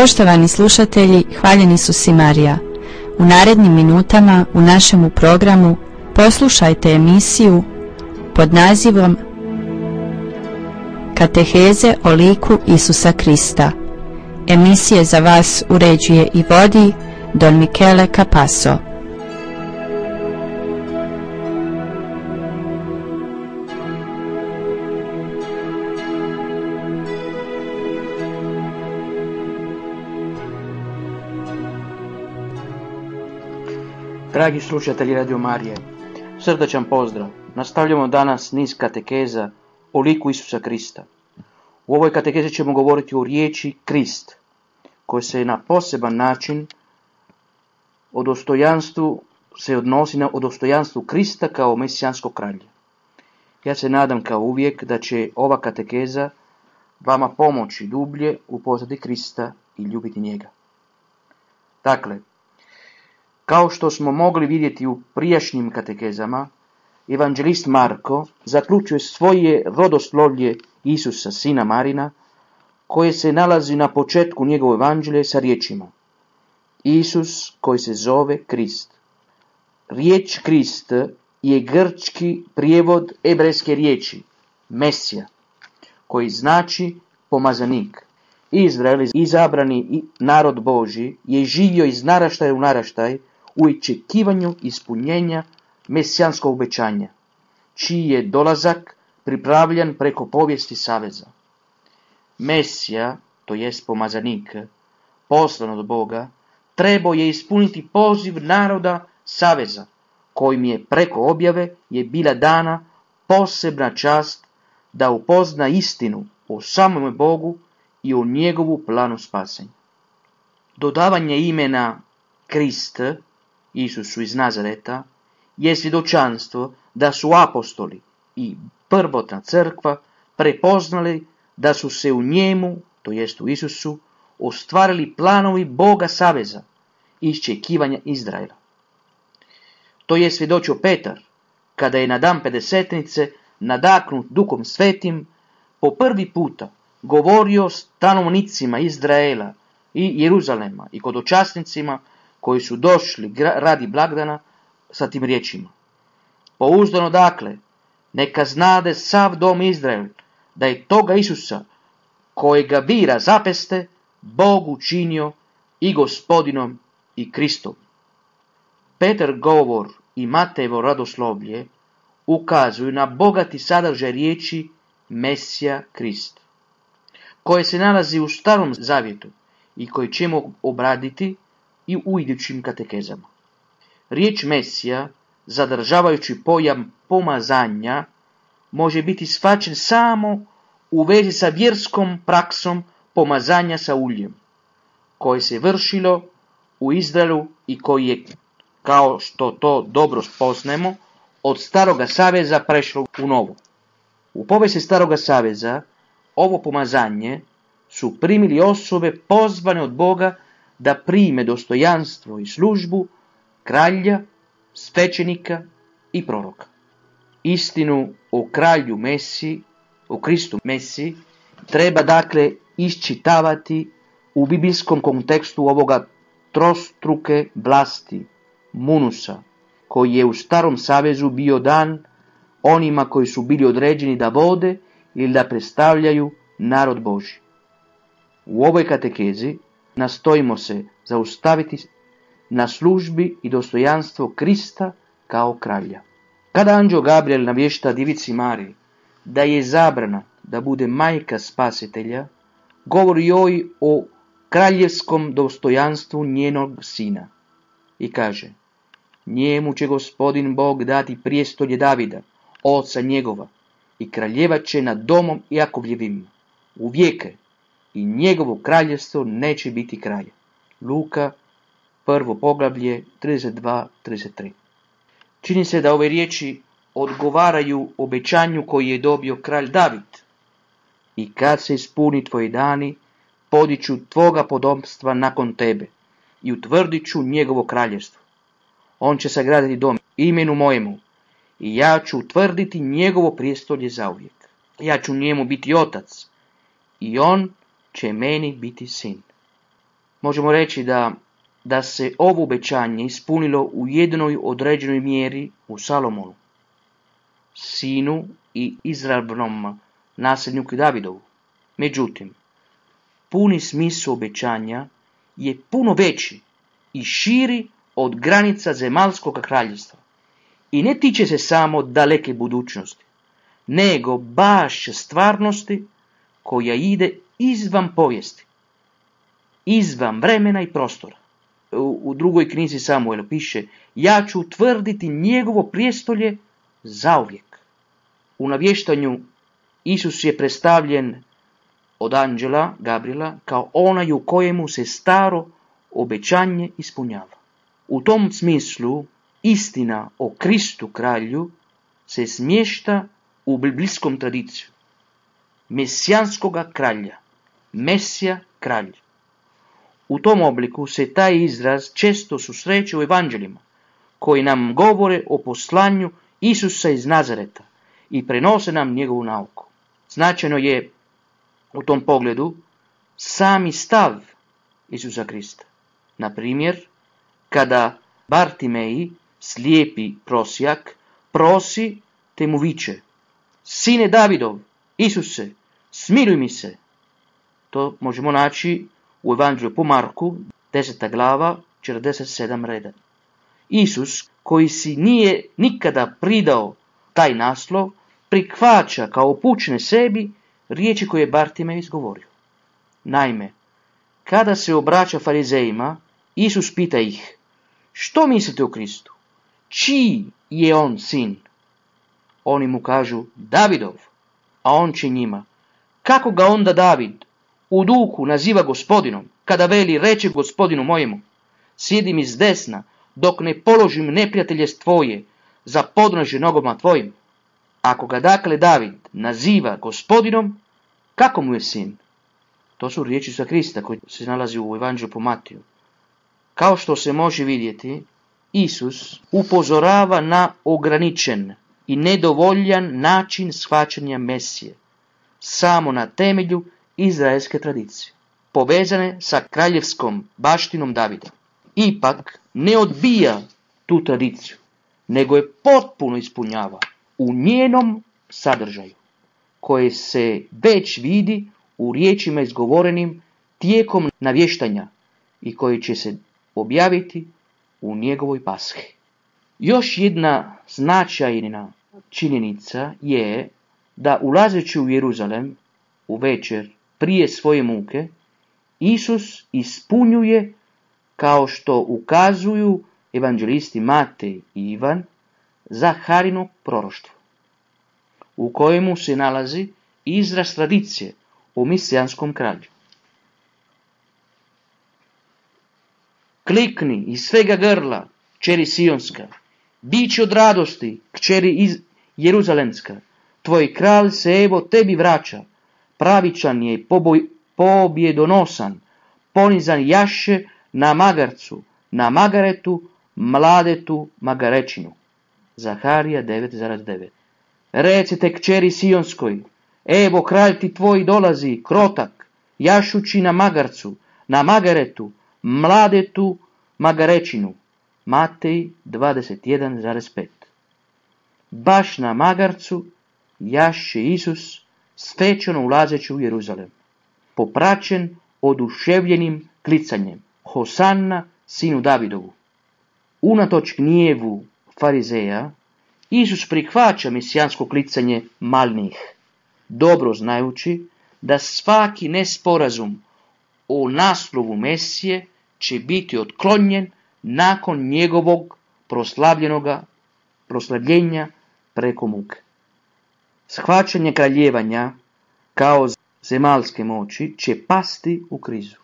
Poštovani slušatelji, hvaljeni su si Marija. U narednim minutama u našemu programu poslušajte emisiju pod nazivom Kateheze o liku Isusa Krista. Emisije za vas uređuje i vodi Don Michele Capasso. Dragi slušatelji Radio Marije, srdačan pozdrav. Nastavljamo danas niz katekeza o liku Isusa Krista. U ovoj katekezi ćemo govoriti o riječi Krist, koja se na poseban način se odnosi na dostojanstvu Krista kao mesijanskog kralja. Ja se nadam kao uvijek da će ova katekeza vama pomoći dublje upoznati Krista i ljubiti njega. Dakle, kao što smo mogli vidjeti u prijašnjim katekezama, evanđelist Marko zaključuje svoje rodoslovlje Isusa, sina Marina, koje se nalazi na početku njegovo evanđelje sa riječima Isus koji se zove Krist. Riječ Krist je grčki prijevod hebrejske riječi Mesija, koji znači pomazanik. Izrael, izabrani narod Božji, je živio iz naraštaja u naraštaj u očekivanju ispunjenja mesijanskog obećanja, čiji je dolazak pripravljan preko povijesti saveza. Mesija, to jest pomazanik, poslan od Boga, trebao je ispuniti poziv naroda saveza, kojim je preko objave je bila dana posebna čast da upozna istinu o samome Bogu i o njegovu planu spasenja. Dodavanje imena Krist Isusu iz Nazareta je svjedočanstvo da su apostoli i prvotna crkva prepoznali da su se u njemu, to jest u Isusu, ostvarili planovi Boga saveza i iščekivanja Izraela. To je svjedočio Petar, kada je na dan Pedesetnice nadahnut Duhom Svetim po prvi puta govorio stanovnicima Izraela i Jeruzalema i hodočasnicima koji su došli radi blagdana sa tim riječima. Pouzdano dakle, neka znade sav dom Izrael, da je toga Isusa, kojega vi razapeste, Bog učinio i Gospodinom i Kristom. Petar govor i Matejevo radoslovlje ukazuju na bogati sadržaj riječi Mesija Krist, koje se nalazi u Starom Zavjetu i koje ćemo obraditi i u idućim katekezama. Riječ Mesija, zadržavajući pojam pomazanja, može biti shvaćen samo u vezi sa vjerskom praksom pomazanja sa uljem, koje se vršilo u Izraelu i koji je, kao što to dobro spoznajemo, od Staroga saveza prešlo u Novo. U povijesti Staroga saveza ovo pomazanje su primili osobe pozvane od Boga da prime dostojanstvo i službu kralja, svećenika i proroka. Istinu o kralju Mesiji, o Kristu Mesiji, treba dakle iščitavati u biblijskom kontekstu ovoga trostruke vlasti, munusa, koji je u Starom savezu bio dan onima koji su bili određeni da vode ili da predstavljaju narod Božji. U ovoj katekezi nastojimo se zaustaviti na službi i dostojanstvo Krista kao kralja. Kada anđeo Gabriel navješta djevici Mariji da je izabrana da bude majka spasitelja, govori joj o kraljevskom dostojanstvu njenog sina i kaže: njemu će Gospodin Bog dati prijestolje Davida, oca njegova, i kraljevat će nad domom Jakovljevim u vijeke, i njegovo kraljevstvo neće biti kraja. Luka, 1. poglavlje, 32-33. Čini se da ove riječi odgovaraju obećanju koji je dobio kralj David. I kad se ispuni tvoji dani, podiću tvoga potomstva nakon tebe i utvrdit ću njegovo kraljevstvo. On će sagraditi dom imenu mojemu i ja ću utvrditi njegovo prijestolje zauvijek. Ja ću njemu biti otac i on će meni biti sin. Možemo reći da se ovo obećanje ispunilo u jednoj određenoj mjeri u Salomonu, sinu i izravnom nasljedniku Davidovu. Međutim, puni smisao obećanja je puno veći i širi od granica zemaljskog kraljevstva i ne tiče se samo daleke budućnosti, nego baš stvarnosti koja ide izvan povijesti, izvan vremena i prostora. U drugoj knjizi Samuela piše: ja ću utvrditi njegovo prijestolje zauvijek. U navještanju Isus je predstavljen od anđela Gabriela kao onaj u kojemu se staro obećanje ispunjava. U tom smislu istina o Kristu kralju se smješta u biblijskom tradiciju mesijanskoga kralja, Mesija kralj. U tom obliku se taj izraz često susreće u evanđeljima, koji nam govore o poslanju Isusa iz Nazareta i prenose nam njegovu nauku. Značajno je u tom pogledu sami stav Isusa Krista. Na primjer, kada Bartimeji, slijepi prosjak, prosi te mu viče: sine Davidov, Isuse, smiluj mi se. To možemo naći u Evanđelju po Marku, 10. glava, 47 reda. Isus, koji si nije nikada pridao taj naslov, prihvaća kao upućene sebi riječi koje je Bartimej izgovorio. Naime, kada se obraća farizejima, Isus pita ih: što mislite o Kristu? Čiji je on sin? Oni mu kažu: Davidov. A on će njima: kako ga onda David u duhu naziva gospodinom, kada veli: reče gospodinu mojemu: sjedi mi s desna, dok ne položim neprijatelje tvoje za podnožje nogama tvojim. Ako ga dakle David naziva gospodinom, kako mu je sin? To su riječi Isusa Krista koji se nalazi u Evanđelju po Matiju. Kao što se može vidjeti, Isus upozorava na ograničen i nedovoljan način shvaćanja Mesije, samo na temelju izraelske tradicije, povezane sa kraljevskom baštinom Davida. Ipak ne odbija tu tradiciju, nego je potpuno ispunjava u njenom sadržaju, koje se već vidi u riječima izgovorenim tijekom navještanja i koji će se objaviti u njegovoj pashi. Još jedna značajna činjenica je da ulazeći u Jeruzalem u večer prije svoje muke, Isus ispunjuje, kao što ukazuju evanđelisti Matej i Ivan, Zaharino proroštvo, u kojemu se nalazi izraz tradicije o mesijanskom kralju. Klikni iz svega grla, kćeri Sionska, bići od radosti, kćeri Jeruzalemska, tvoj kralj se evo tebi vraća, pravičan je, pobjedonosan, ponizan jaše na magarcu, na magaretu, mladetu magarečinu. Zaharija 9,9. Recite kćeri Sionskoj: evo kralj ti tvoj dolazi, krotak, jašući na magarcu, na magaretu, mladetu magarečinu. Matej 21,5. Baš na magarcu jaše Isus, svečano ulazeći u Jeruzalem, popraćen oduševljenim klicanjem: Hosanna sinu Davidovu. Unatoč gnjevu farizeja, Isus prihvaća mesijansko klicanje malnih, dobro znajući da svaki nesporazum o naslovu Mesije će biti otklonjen nakon njegovog proslavljenja preko muke. Shvaćanje kraljevanja kao zemaljske moći će pasti u krizu.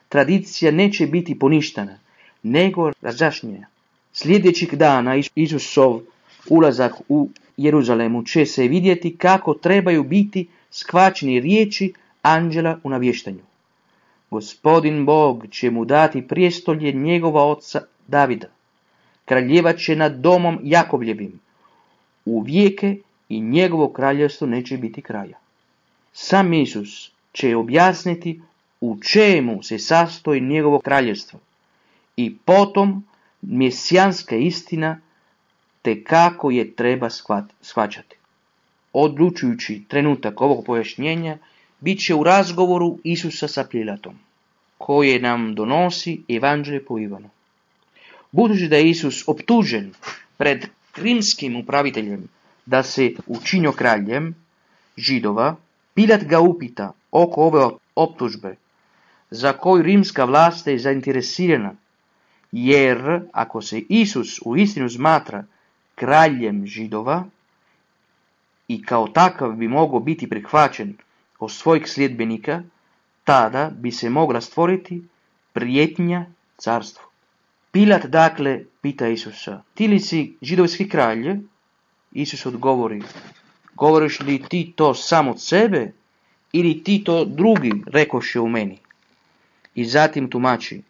Tradicija neće biti poništena, nego razjašnjena. Sljedećeg dana Isusov ulazak u Jeruzalemu će se vidjeti kako trebaju biti shvaćeni riječi anđela u navještanju. Gospodin Bog će mu dati prijestolje njegova oca Davida. Kraljevat će nad domom Jakovljevim u vijeke i njegovo kraljevstvo neće biti kraja. Sam Isus će objasniti u čemu se sastoji njegovo kraljevstvo i potom mesijanska istina te kako je treba shvaćati. Odlučujući trenutak ovog pojašnjenja bit će u razgovoru Isusa sa Pilatom, koje nam donosi Evanđelje po Ivanu. Budući da je Isus optužen pred rimskim upraviteljem da se učinio kraljem Židova, Pilat ga upita oko ove optužbe za koju rimska vlast je zainteresirana, jer ako se Isus uistinu smatra kraljem Židova i kao takav bi mogao biti prihvaćen od svojih sljedbenika, tada bi se mogla stvoriti prijetnja carstvu. Pilat dakle pita Isusa, ti li si židovski kralj? Isus odgovori, govoriš li ti to sam od sebe ili ti to drugi rekoše u meni? I zatim tumači,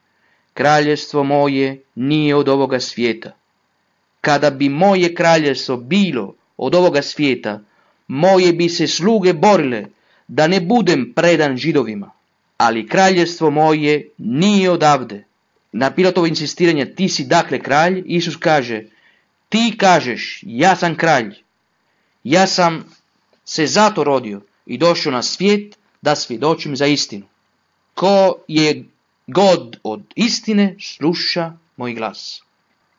kraljevstvo moje nije od ovoga svijeta. Kada bi moje kraljevstvo bilo od ovoga svijeta, moje bi se sluge borile da ne budem predan Židovima, ali kraljevstvo moje nije odavde. Na Pilatovo insistiranje, ti si dakle kralj, Isus kaže, ti kažeš, ja sam kralj. Ja sam se zato rodio i došao na svijet da svjedočim za istinu. Ko je god od istine sluša moj glas.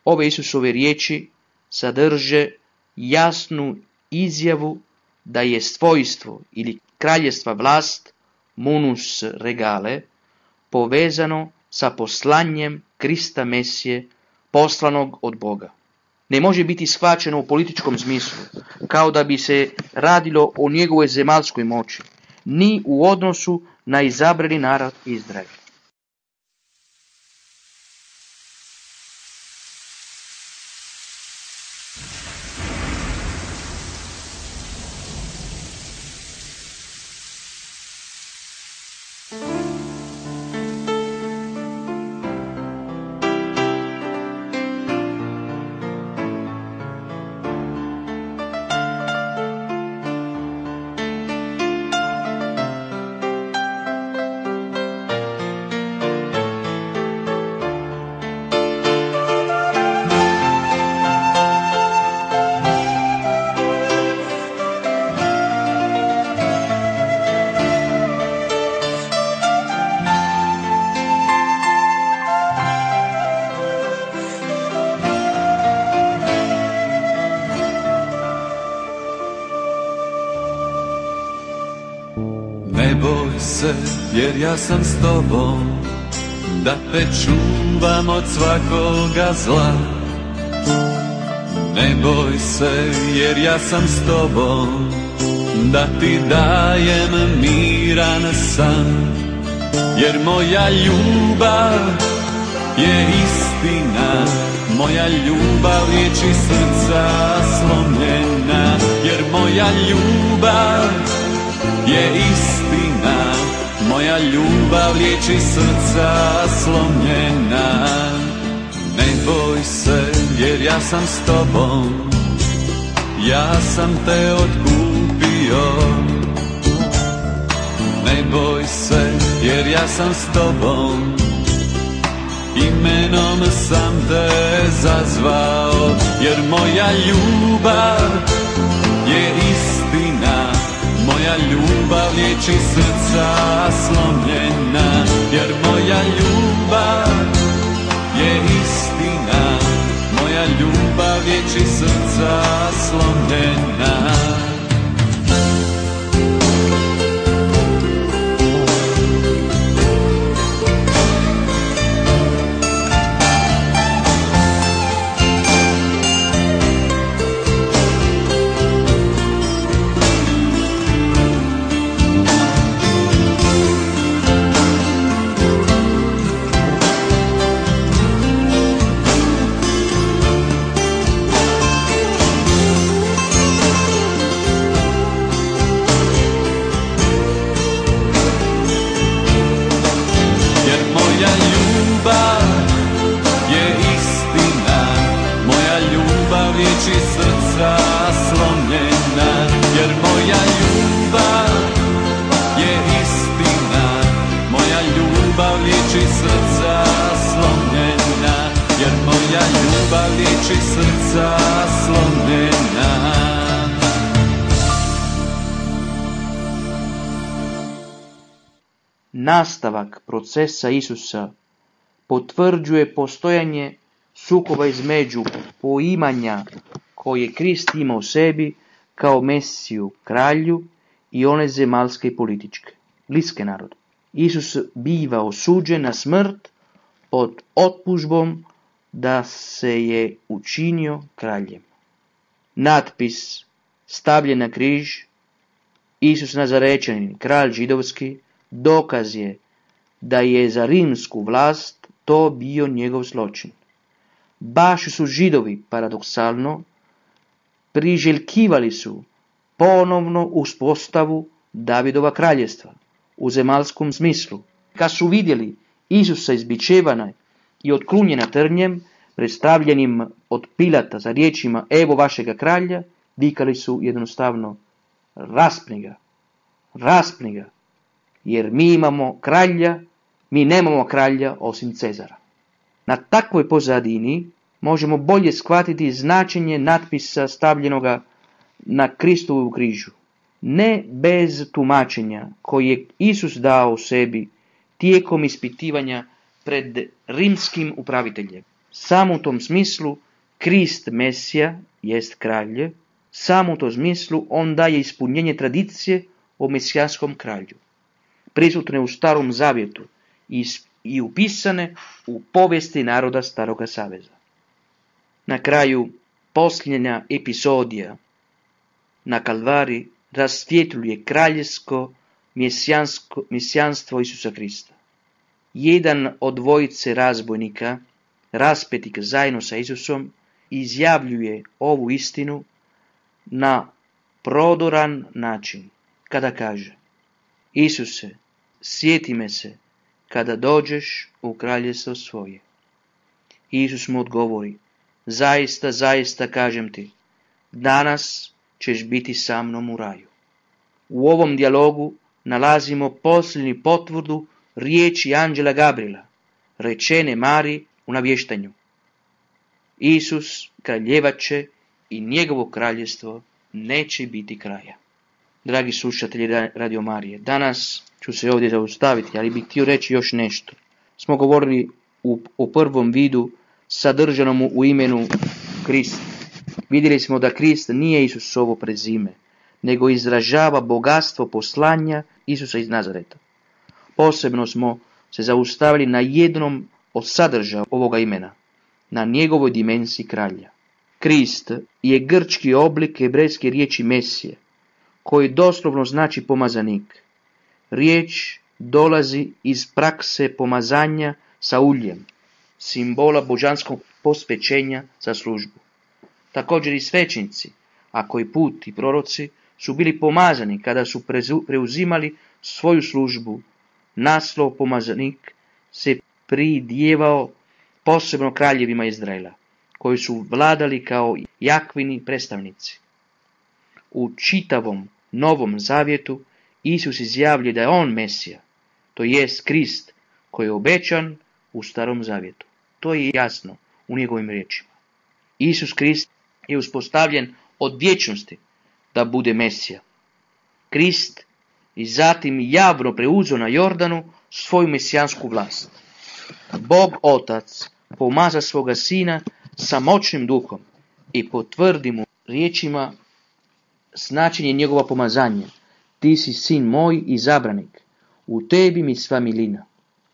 Ove Isusove riječi sadrže jasnu izjavu da je svojstvo ili kraljevstva vlast, munus regale, povezano sa poslanjem Krista Mesije, poslanog od Boga. Ne može biti shvaćeno u političkom smislu, kao da bi se radilo o njegovoj zemaljskoj moći, ni u odnosu na izabrani narod Izrael. Ne boj se, jer ja sam s tobom, da te čuvam od svakoga zla. Ne boj se, jer ja sam s tobom, da ti dajem miran san. Jer moja ljubav je istina, moja ljubav liječi srca slomljena. Jer moja ljubav je istina, moja ljubav liječi srca slomljena. Ne boj se, jer ja sam s tobom, ja sam te otkupio. Ne boj se, jer ja sam s tobom, imenom sam te zazvao. Jer moja ljubav je istina, moja ljubav liječi srca slomljena. Jer moja ljubav je istina, moja ljubav liječi srca slomljena. oči srca slomljena. Nastavak procesa Isusa potvrđuje postojanje sukoba između poimanja koje Krist ima u sebi kao Mesiju kralju i one zemaljske i političke, bliske narodu. Isus biva osuđen na smrt pod optužbom da se je učinio kraljem. Natpis stavljen na križ, Isus Nazarečanin, kralj židovski, dokaz je da je za rimsku vlast to bio njegov zločin. Baš su Židovi, paradoksalno, priželjkivali su ponovno uspostavu Davidova kraljevstva u zemaljskom smislu. Kad su vidjeli Isusa izbičevana i otklunjena trnjem, predstavljenim od Pilata za riječima evo vašega kralja, vikali su jednostavno raspni ga, jer mi imamo kralja, mi nemamo kralja osim Cezara. Na takvoj pozadini možemo bolje shvatiti značenje natpisa stavljenoga na Kristovu križu. Ne bez tumačenja koje je Isus dao u sebi tijekom ispitivanja pred rimskim upraviteljem. Samo u tom smislu Krist Mesija jest kralj, samo u tom smislu on daje ispunjenje tradicije o mesijanskom kralju, prisutne u Starom Zavjetu i upisane u povijesti naroda Staroga Saveza. Na kraju posljednja epizodija na Kalvari rasvjetljuje kraljevsko mesijanstvo Isusa Krista. Jedan od dvojice razbojnika, raspetih zajedno sa Isusom, izjavljuje ovu istinu na prodoran način, kada kaže: Isuse, sjeti me se kada dođeš u kraljevstvo svoje. Isus mu odgovori: zaista, zaista kažem ti, danas ćeš biti sa mnom u raju. U ovom dijalogu nalazimo posljednju potvrdu riječi anđela Gabriela, rečene Mariji u navještanju. Isus kraljevat će i njegovo kraljevstvo neće biti kraja. Dragi slušatelji Radio Marije, danas ću se ovdje zaustaviti, ali bih htio reći još nešto. Smo govorili o prvom vidu sadržanom u imenu Krist. Vidjeli smo da Krist nije Isusovo prezime, nego izražava bogatstvo poslanja Isusa iz Nazareta. Posebno smo se zaustavili na jednom od sadržaja ovoga imena, na njegovoj dimenziji kralja. Krist je grčki oblik hebrejske riječi Mesije, koji doslovno znači pomazanik. Riječ dolazi iz prakse pomazanja sa uljem, simbola božanskog posvećenja za službu. Također i svećenici, a koji put i proroci su bili pomazani kada su preuzimali svoju službu. Naslov pomazanik se pridjevao posebno kraljevima Izraela, koji su vladali kao Jakvini predstavnici. U čitavom Novom Zavjetu Isus izjavljuje da je on Mesija, to jest Krist koji je obećan u Starom Zavjetu. To je jasno u njegovim riječima. Isus Krist je uspostavljen od vječnosti da bude Mesija. Krist i zatim javno preuzeo na Jordanu svoju mesijansku vlast. Bog Otac pomaza svoga Sina sa moćnim duhom i potvrdi mu riječima značenje njegova pomazanja. Ti si sin moj izabranik, u tebi mi sva milina.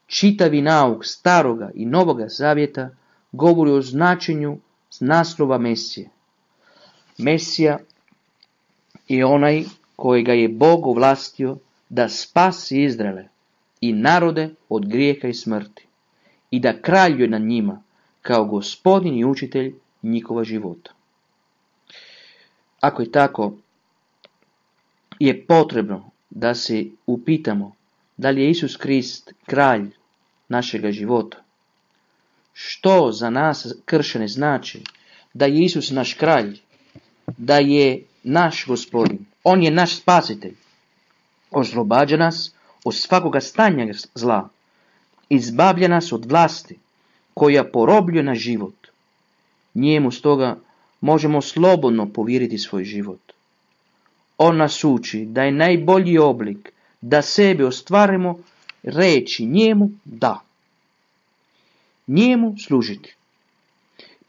Čitavi nauk Staroga i Novoga Zavjeta govori o značenju naslova Mesije. Mesija je onaj kojega je Bog ovlastio da spasi Izraele i narode od grijeha i smrti i da kraljuje nad njima kao gospodin i učitelj njihova života. Ako je tako, je potrebno da se upitamo da li je Isus Krist kralj našega života. Što za nas kršćane znači da je Isus naš kralj, da je naš gospodin, on je naš spasitelj, oslobađa nas od svakoga stanja zla, izbavlja nas od vlasti koja porobljuje naš život Njemu stoga možemo slobodno povjeriti svoj život. On nas uči da je najbolji oblik da sebe ostvarimo reći njemu da. Njemu služiti.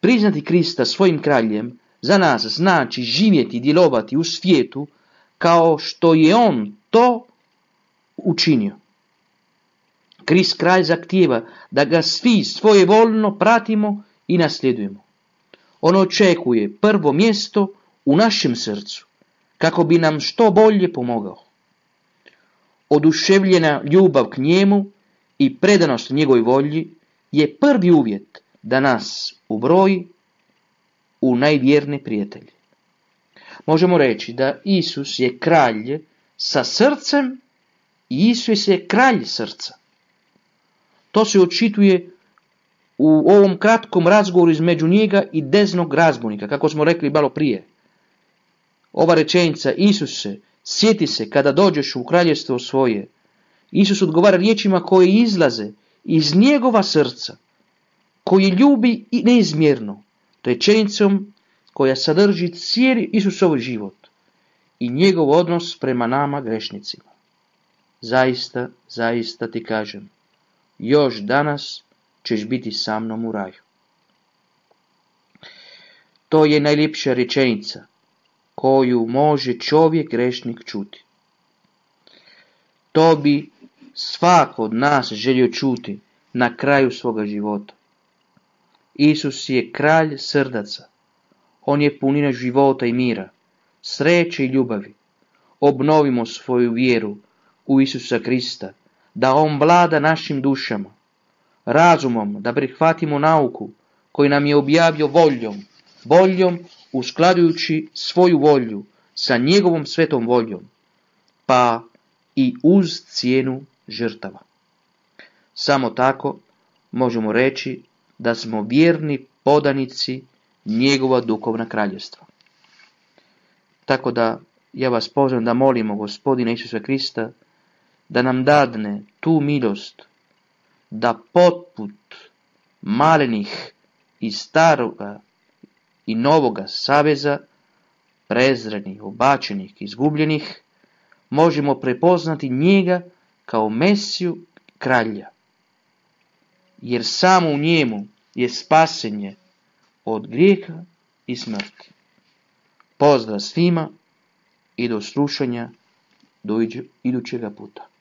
Priznati Krista svojim kraljem za nas znači živjeti i djelovati u svijetu kao što je on to učinio. Krist kralj zahtijeva da ga svi svojevoljno pratimo i nasljedujemo. On očekuje prvo mjesto u našem srcu, kako bi nam što bolje pomogao. Oduševljena ljubav k njemu i predanost njegovoj volji je prvi uvjet da nas ubroji u najvjernije prijatelje. Možemo reći da Isus je kralj sa srcem i Isus je kralj srca. To se očituje u ovom kratkom razgovoru između njega i desnog razbojnika, kako smo rekli malo prije. Ova rečenica, Isuse, sjeti se kada dođeš u kraljevstvo svoje. Isus odgovara riječima koje izlaze iz njegova srca, koji ljubi i neizmjerno, rečenicom koja sadrži cijeli Isusov život i njegov odnos prema nama grešnicima. Zaista, zaista ti kažem, još danas ćeš biti sa mnom u raju. To je najljepša rečenica koju može čovjek grešnik čuti. To bi svako od nas želio čuti na kraju svoga života. Isus je kralj srdaca. On je punina života i mira, sreće i ljubavi. Obnovimo svoju vjeru u Isusa Krista, da on vlada našim dušama, razumom da prihvatimo nauku koju nam je objavio voljom uskladujući svoju volju sa njegovom svetom voljom, pa i uz cijenu žrtava. Samo tako možemo reći da smo vjerni podanici njegova duhovna kraljevstva. Tako da ja vas pozivam da molimo Gospodina Isusa Krista da nam dadne tu milost da poput malenih iz staroga i novoga saveza, prezrenih, obačenih, izgubljenih, možemo prepoznati njega kao Mesiju kralja. Jer samo u njemu je spasenje od grijeha i smrti. Pozdrav svima i do slušanja do idućega puta.